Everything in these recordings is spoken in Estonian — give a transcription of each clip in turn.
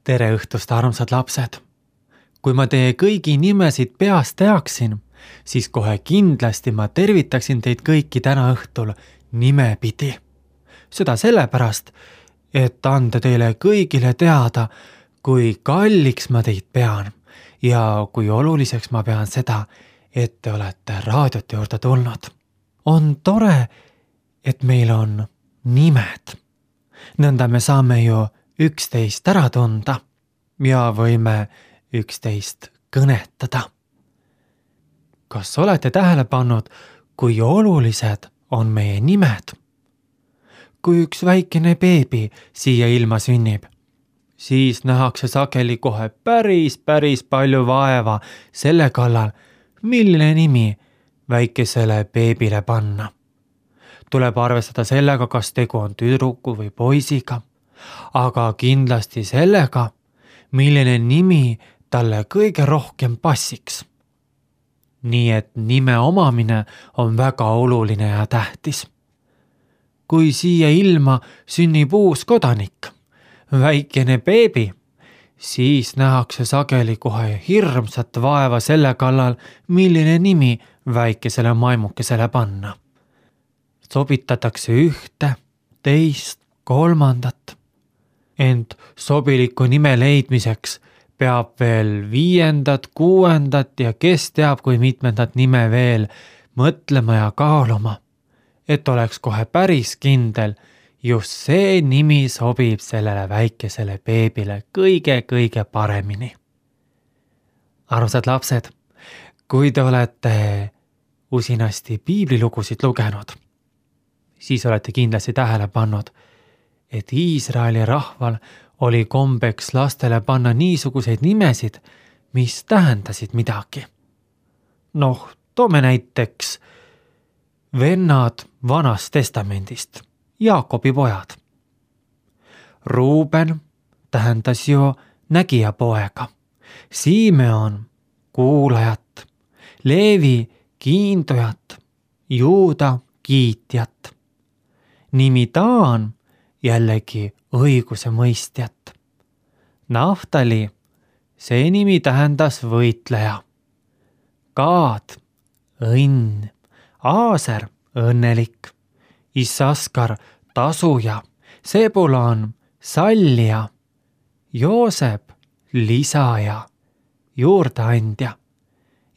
Tere õhtust, armsad lapsed! Kui ma teie kõigi nimesid peast teaksin, siis kohe kindlasti ma tervitaksin teid kõiki täna õhtul nimepidi. Seda sellepärast, et anda teile kõigile teada, kui kalliks ma teid pean ja kui oluliseks ma pean seda, et te olete raadiote juurde tulnud. On tore, et meil on nimed. Nõnda me saame ju üksteist ära tunda ja võime üksteist kõnetada. Kas olete tähele pannud, kui olulised on meie nimed? Kui üks väikene beebi siia ilma sünnib, siis nähakse sageli kohe päris palju vaeva selle kallal, milline nimi väikesele beebile panna. Tuleb arvestada sellega, kas tegu on tüdruku või poisiga, aga kindlasti sellega, milline nimi talle kõige rohkem passiks. Nii et nime omamine on väga oluline ja tähtis. Kui siia ilma sünnib uus kodanik, väikene beebi, siis nähakse sageli kohe hirmsat vaeva selle kallal, milline nimi väikesele maimukesele panna. Sobitatakse ühte, teist, kolmandat. Ent sobiliku nime leidmiseks peab veel 5., 6. ja kes teab, kui mitmendat nime veel mõtlema ja kaaluma, et oleks kohe päris kindel, just see nimi sobib sellele väikesele beebile kõige paremini. Armsad lapsed, kui te olete usinasti piiblilugusid lugenud, siis olete kindlasti tähele pannud, et Iisraeli rahval oli kombeks lastele panna niisuguseid nimesid, mis tähendasid midagi. Toome näiteks vennad Vanast Testamendist, Jaakobi pojad. Ruuben tähendas ju nägija poega, Simeon kuulajat, Leevi kiindujat, Juuda kiitjat. Nimi Daan jällegi õiguse mõistjat. Naftali, see nimi tähendas võitleja. Gaad, õnn, Aaser, õnnelik, Issaskar, tasuja, Sebulan, sallija, Joosep, lisaja, juurdeandja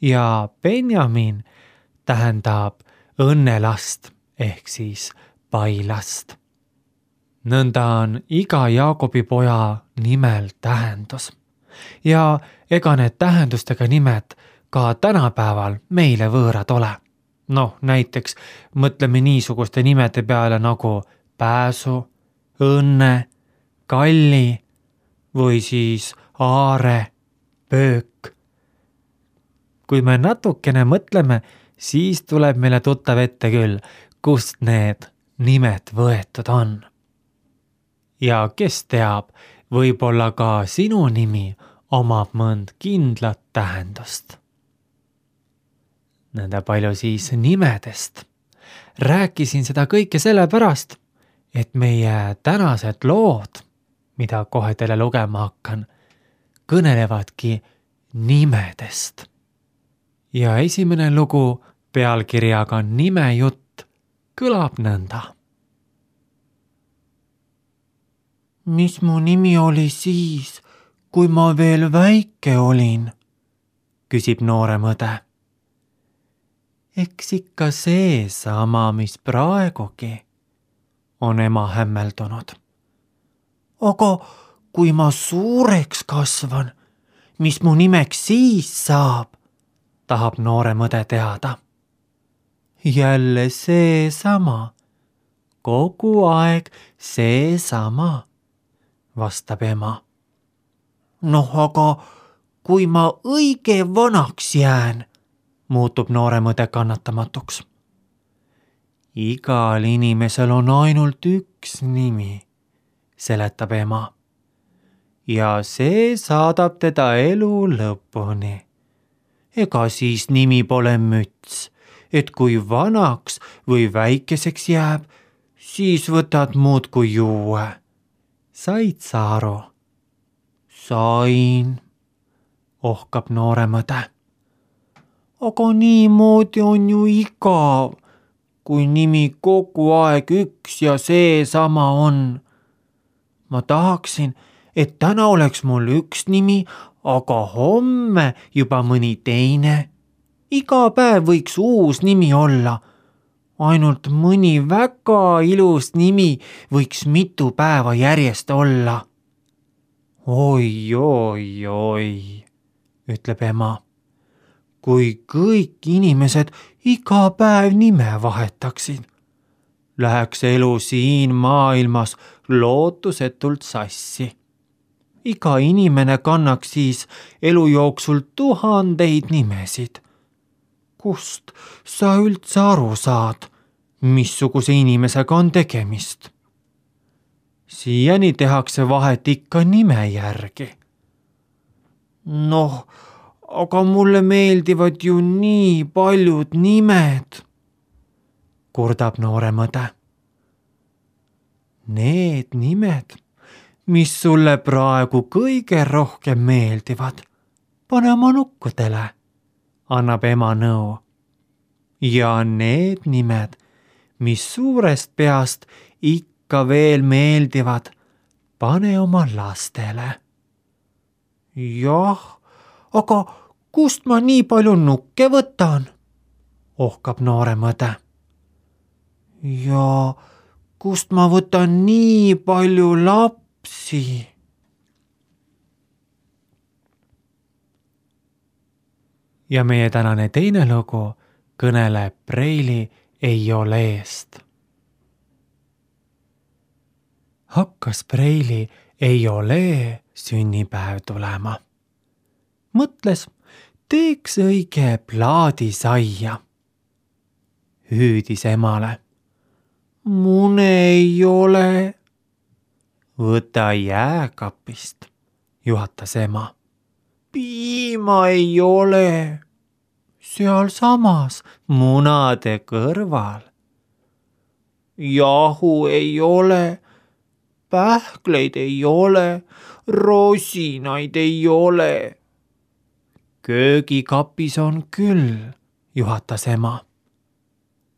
ja Benjamin tähendab õnnelast ehk siis pailast. Nõnda on iga Jaakobi poja nimel tähendus. Ja ega need tähendustega nimed ka tänapäeval meile võõrad ole. Näiteks mõtleme niisuguste nimede peale nagu pääsu, õnne, kalli või siis aare, pöök. Kui me natukene mõtleme, siis tuleb meile tuttav ette küll, kust need nimed võetud on. Ja kes teab, võib-olla ka sinu nimi omab mõnd kindlat tähendust. Nõnda palju siis nimedest. Rääkisin seda kõike sellepärast, et meie tänased lood, mida kohe teile lugema hakkan, kõnelevadki nimedest. Ja esimene lugu pealkirjaga Nimejutt kõlab nõnda. Mis mu nimi oli siis, kui ma veel väike olin? Küsib noorem õde. Eks ikka see sama, mis praegugi, on ema hämmeldunud. Aga kui ma suureks kasvan, mis mu nimeks siis saab, tahab noorem õde teada. Jälle see sama, kogu aeg see sama, vastab ema. Aga kui ma õige vanaks jään, muutub noorem õde kannatamatuks. Igal inimesel on ainult üks nimi, seletab ema. Ja see saadab teda elu lõpuni. Ega siis nimi pole müts, et kui vanaks või väikeseks jääb, siis võtad muud kui juue. Said sa aru? Sain, ohkab noorem õde. Aga niimoodi on ju igav, kui nimi kogu aeg üks ja seesama on. Ma tahaksin, et täna oleks mul üks nimi, aga homme juba mõni teine. Iga päev võiks uus nimi olla. Ainult mõni väga ilus nimi võiks mitu päeva järjest olla. Oi, oi, oi, ütleb ema. Kui kõik inimesed iga päev nime vahetaksid, läheks elu siin maailmas lootusetult sassi. Iga inimene kannaks siis elu jooksul 1000 nimesid. Kust sa üldse aru saad, missuguse inimesega on tegemist? Siiani tehakse vahet ikka nime järgi. Noh, aga mulle meeldivad ju nii paljud nimed, kurdab noorem õde. Need nimed, mis sulle praegu kõige rohkem meeldivad, pane oma nukkudele, annab ema nõu. Ja need nimed, mis suurest peast ikka veel meeldivad, pane oma lastele. Jah, aga kust ma nii palju nukke võtan? Ohkab noorem õde. Ja kust ma võtan nii palju lapsi? Ja meie tänane teine lugu kõneleb preili Eioleest. Hakkas preili Eiolee sünnipäev tulema. Mõtles, teeks õige plaadisaia. Hüüdis emale. Mune ei ole. Võta jääkapist, juhatas ema. Piima ei ole. Sealsamas munade kõrval. Jahu ei ole. Pähkleid ei ole. Rosinaid ei ole. Köögikapis on küll, juhatas ema.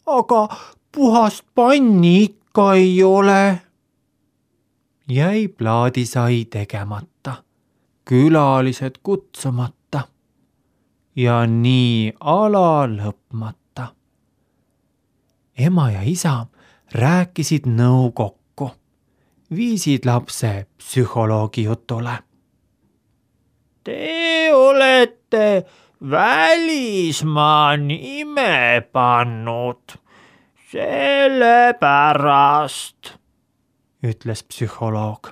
Aga puhast panni ikka ei ole. Jäi plaadisai tegemata, külalised kutsumata ja nii ala lõpmata. Ema ja isa rääkisid nõu kokku, viisid lapse psühholoogi jutule. Te olete välismaa nime pannud, sellepärast, ütles psühholoog.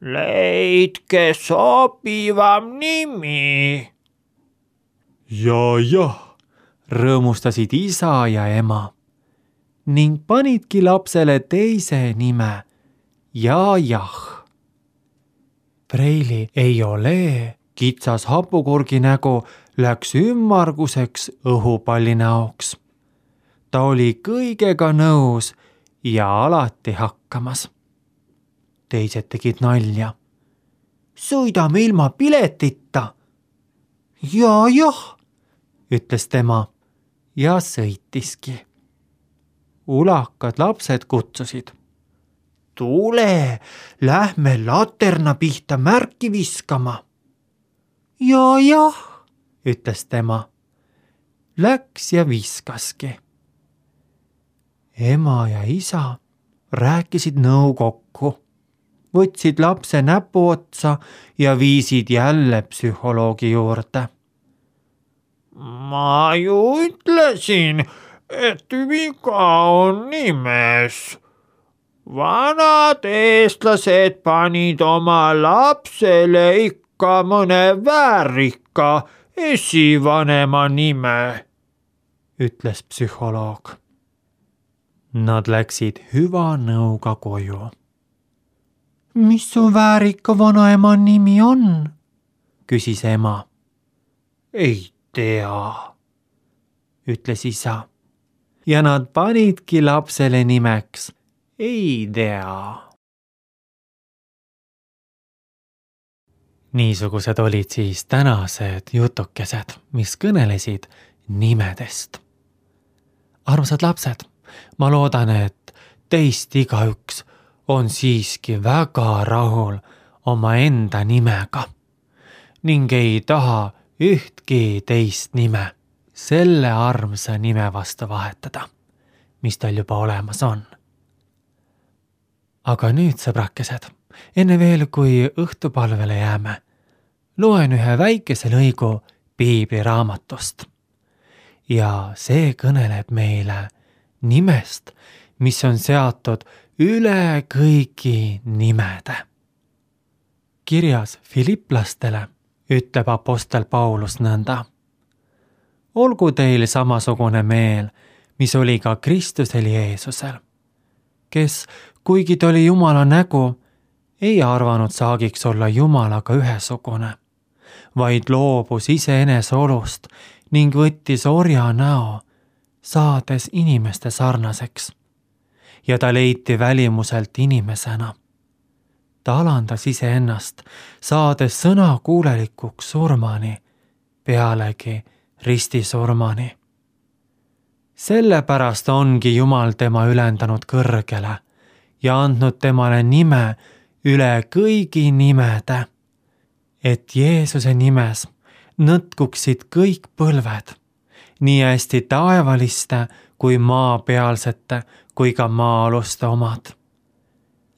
Leidke sobivam nimi. Jah, rõõmustasid isa ja ema ning panidki lapsele teise nime jah. Preili Eiolee kitsas hapukurgi nägu läks ümmarguseks õhupalli näoks. Ta oli kõigega nõus ja alati hakkamas. Teised tegid nalja. Sõidame ilma piletita. Jah, ütles tema ja sõitiski. Ulakad lapsed kutsusid. Tule, lähme laterna pihta märki viskama. Jah, ütles tema. Läks ja viskaski. Ema ja isa rääkisid nõu kokku, võtsid lapse näpuotsa ja viisid jälle psühholoogi juurde. Ma ju ütlesin, et viga on nimes. Vanad eestlased panid oma lapsele ikka mõne väärika esivanema nime, ütles psühholoog. Nad läksid hüva nõuga koju. Mis su väärika vanaema nimi on? Küsis ema. Ei tea, ütles isa. Ja nad panidki lapsele nimeks ei tea. Niisugused olid siis tänased jutukesed, mis kõnelesid nimedest. Armsad lapsed, ma loodan, et teist igaüks on siiski väga rahul oma enda nimega ning ei taha ühtki teist nime selle armsa nime vastu vahetada, mis tal juba olemas on. Aga nüüd, sõbrakesed, enne veel, kui õhtupalvele jääme, loen ühe väikese lõigu piibliraamatust. Ja see kõneleb meile nimest, mis on seatud üle kõigi nimede. Kirjas Filiplastele ütleb apostel Paulus nõnda. Olgu teil samasugune meel, mis oli ka Kristusel Jeesusel, kes, kuigi ta oli Jumala nägu, ei arvanud saagiks olla Jumalaga ühesugune, vaid loobus iseenese olust ning võttis orja näo, saades inimeste sarnaseks. Ja ta leiti välimuselt inimesena. Ta alandas iseennast, saades sõnakuulelikuks surmani, pealegi ristisurmani. Sellepärast ongi Jumal tema ülendanud kõrgele ja andnud temale nime üle kõigi nimede, et Jeesuse nimes nõtkuksid kõik põlved, nii hästi taevaliste kui maapealsete kui ka maa-aluste omad.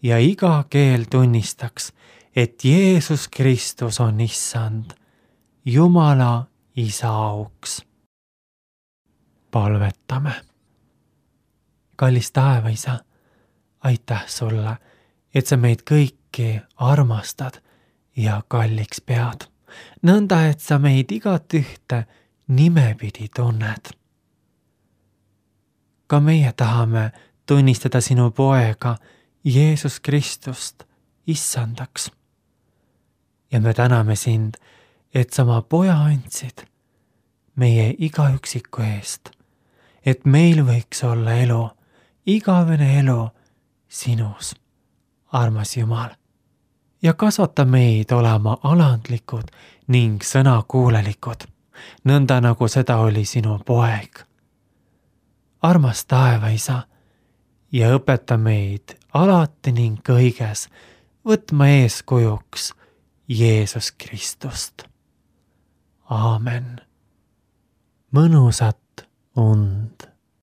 Ja iga keel tunnistaks, et Jeesus Kristus on issand, Jumala Isa auks. Palvetame. Kallis taevaisa, aitäh sulle, et sa meid kõiki armastad ja kalliks pead. Nõnda, et sa meid igat ühte nimepidi tunned. Ka meie tahame tunnistada sinu poega Jeesus Kristust issandaks. Ja me täname sind, et sa oma poja andsid meie igaüksiku eest, et meil võiks olla elu, igavene elu sinus, armas Jumal. Ja kasvata meid olema alandlikud ning sõnakuulelikud, nõnda nagu seda oli sinu poeg. Armas taevaisa, ja õpeta meid alati ning kõiges võtma eeskujuks Jeesus Kristust. Aamen. Mõnusat und.